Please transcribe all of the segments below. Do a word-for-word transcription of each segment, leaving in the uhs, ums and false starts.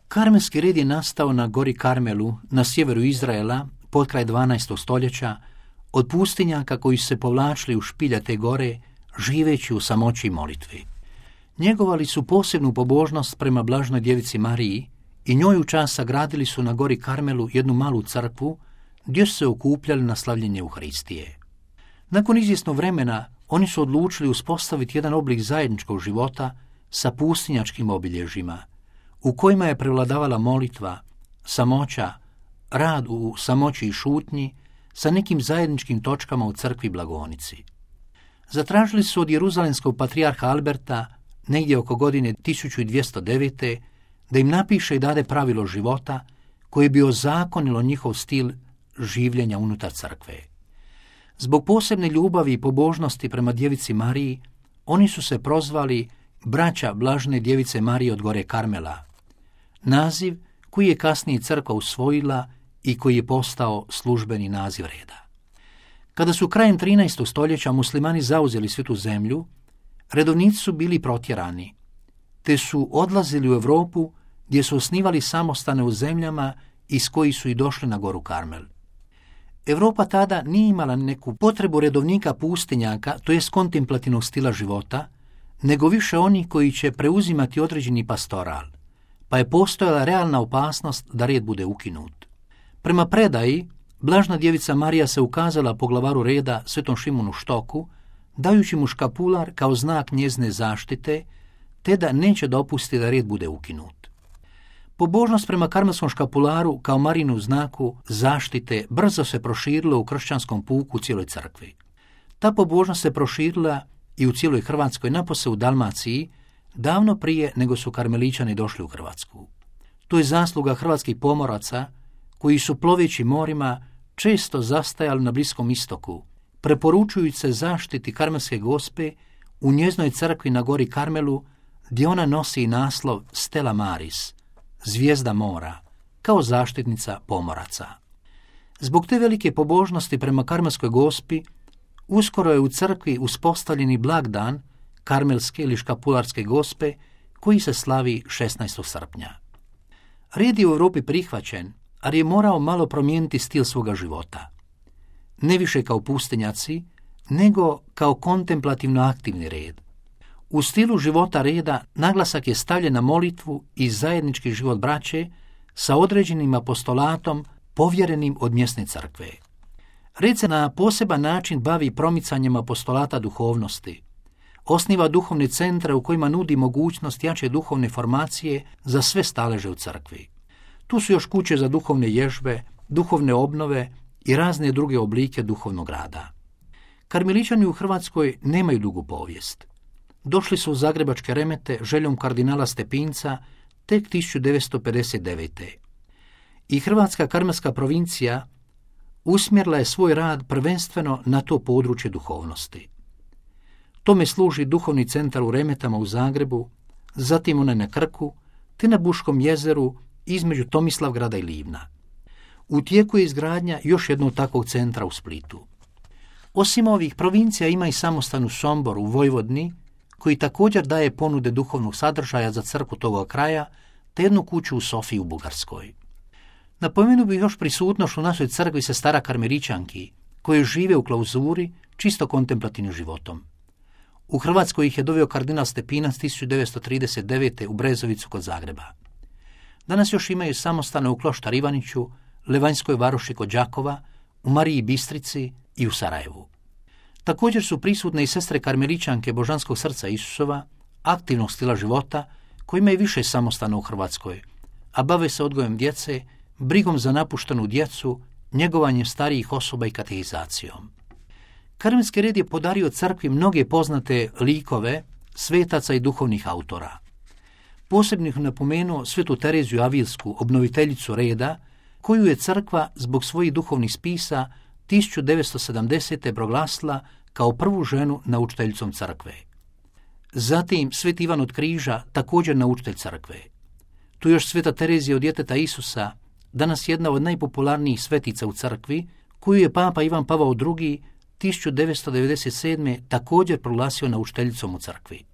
Karmelski red je nastao na gori Karmelu, na sjeveru Izraela, potkraj dvanaestog stoljeća, od pustinjaka koji su se povlačili u špilja te gore, živeći u samoći i molitvi. Njegovali su posebnu pobožnost prema blažnoj djevici Mariji i njoj u čast sagradili su na gori Karmelu jednu malu crkvu gdje su se okupljali na slavljenje Euharistije. Nakon izvjesnog vremena oni su odlučili uspostaviti jedan oblik zajedničkog života sa pustinjačkim obilježjima, u kojima je prevladavala molitva, samoća, rad u samoći i šutnji sa nekim zajedničkim točkama u crkvi Blagonici. Zatražili su od jeruzalemskog patrijarha Alberta negdje oko godine tisuću dvjesto devete da im napiše i dade pravilo života koje bi ozakonilo njihov stil življenja unutar crkve. Zbog posebne ljubavi i pobožnosti prema djevici Mariji, oni su se prozvali braća blažne djevice Marije od gore Karmela, naziv koji je kasnije crkva usvojila i koji je postao službeni naziv reda. Kada su krajem trinaestog stoljeća muslimani zauzeli svu tu zemlju, redovnici su bili protjerani, te su odlazili u Europu gdje su osnivali samostane u zemljama iz kojih su i došli na goru Karmel. Europa tada nije imala neku potrebu redovnika pustinjaka, to jest kontemplativnog stila života, nego više oni koji će preuzimati određeni pastoral, pa je postojala realna opasnost da red bude ukinut. Prema predaji, blažna djevica Marija se ukazala poglavaru reda Svetom Šimunu Štoku, dajući mu škapular kao znak njezine zaštite, te da neće dopustiti da red bude ukinut. Pobožnost prema karmelskom škapularu kao Marinu znaku zaštite brzo se proširila u kršćanskom puku u cijeloj crkvi. Ta pobožnost se proširila i u cijeloj Hrvatskoj, napose u Dalmaciji, davno prije nego su karmeličani došli u Hrvatsku. To je zasluga hrvatskih pomoraca koji su ploveći morima često zastajali na Bliskom istoku, preporučujući se zaštiti Karmelske Gospe u njeznoj crkvi na gori Karmelu, gdje ona nosi naslov Stella Maris, zvijezda mora, kao zaštitnica pomoraca. Zbog te velike pobožnosti prema Karmelskoj Gospi, uskoro je u crkvi uspostavljeni blagdan Karmelske ili Škapularske Gospe, koji se slavi šesnaestog srpnja. Red je u Europi prihvaćen, ali je morao malo promijeniti stil svoga života. Ne više kao pustinjaci, nego kao kontemplativno aktivni red. U stilu života reda naglasak je stavljen na molitvu i zajednički život braće sa određenim apostolatom povjerenim od mjesne crkve. Red se na poseban način bavi promicanjem apostolata duhovnosti. Osniva duhovne centre u kojima nudi mogućnost jače duhovne formacije za sve staleže u crkvi. Tu su još kuće za duhovne ježbe, duhovne obnove i razne druge oblike duhovnog rada. Karmeličani u Hrvatskoj nemaju dugu povijest. Došli su u zagrebačke Remete željom kardinala Stepinca tek tisuću devetsto pedeset devete. I Hrvatska karmelska provincija usmjerila je svoj rad prvenstveno na to područje duhovnosti. Tome služi duhovni centar u Remetama u Zagrebu, zatim onaj na Krku, te na Buškom jezeru između Tomislavgrada i Livna. U tijeku je izgradnja još jednog takvog centra u Splitu. Osim ovih, provincija ima i samostan u Somboru u Vojvodini, koji također daje ponude duhovnog sadržaja za crkvu toga kraja, te jednu kuću u Sofiji u Bugarskoj. Napomenuo bih još prisutnošću u našoj crkvi sestara karmeličanki, koje žive u klauzuri čisto kontemplativnim životom. U Hrvatskoj ih je doveo kardinal Stepinac tisuću devetsto trideset devete u Brezovicu kod Zagreba. Danas još imaju samostane u Kloštar Ivaniću, Levanjskoj Varoši kod Đakova, u Mariji Bistrici i u Sarajevu. Također su prisutne i sestre karmeličanke Božanskog srca Isusova, aktivnog stila života, koji imaju više samostana u Hrvatskoj, a bave se odgojem djece, brigom za napuštenu djecu, njegovanjem starijih osoba i katehizacijom. Karmelski red je podario crkvi mnoge poznate likove, svetaca i duhovnih autora. Posebno ih napomenuo svetu Tereziju Avilsku, obnoviteljicu reda, koju je crkva zbog svojih duhovnih spisa tisuću devetsto sedamdesete proglasila kao prvu ženu naučiteljicom crkve. Zatim sveti Ivan od Križa, također naučitelj crkve. Tu još sveta Terezija od djeteta Isusa, danas jedna od najpopularnijih svetica u crkvi, koju je papa Ivan Pavao drugi tisuću devetsto devedeset sedme također proglasio naučiteljicom u crkvi.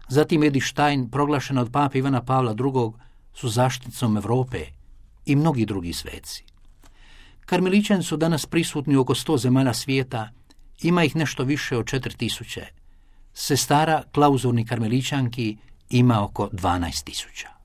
Zatim Edith Stein, proglašena od pape Ivana Pavla drugog su zaštitnicom Europe i mnogi drugi sveci. Karmelićani su danas prisutni u oko sto zemalja svijeta, ima ih nešto više od četiri tisuće. Sestara klauzurnih karmelićanki ima oko dvanaest tisuća.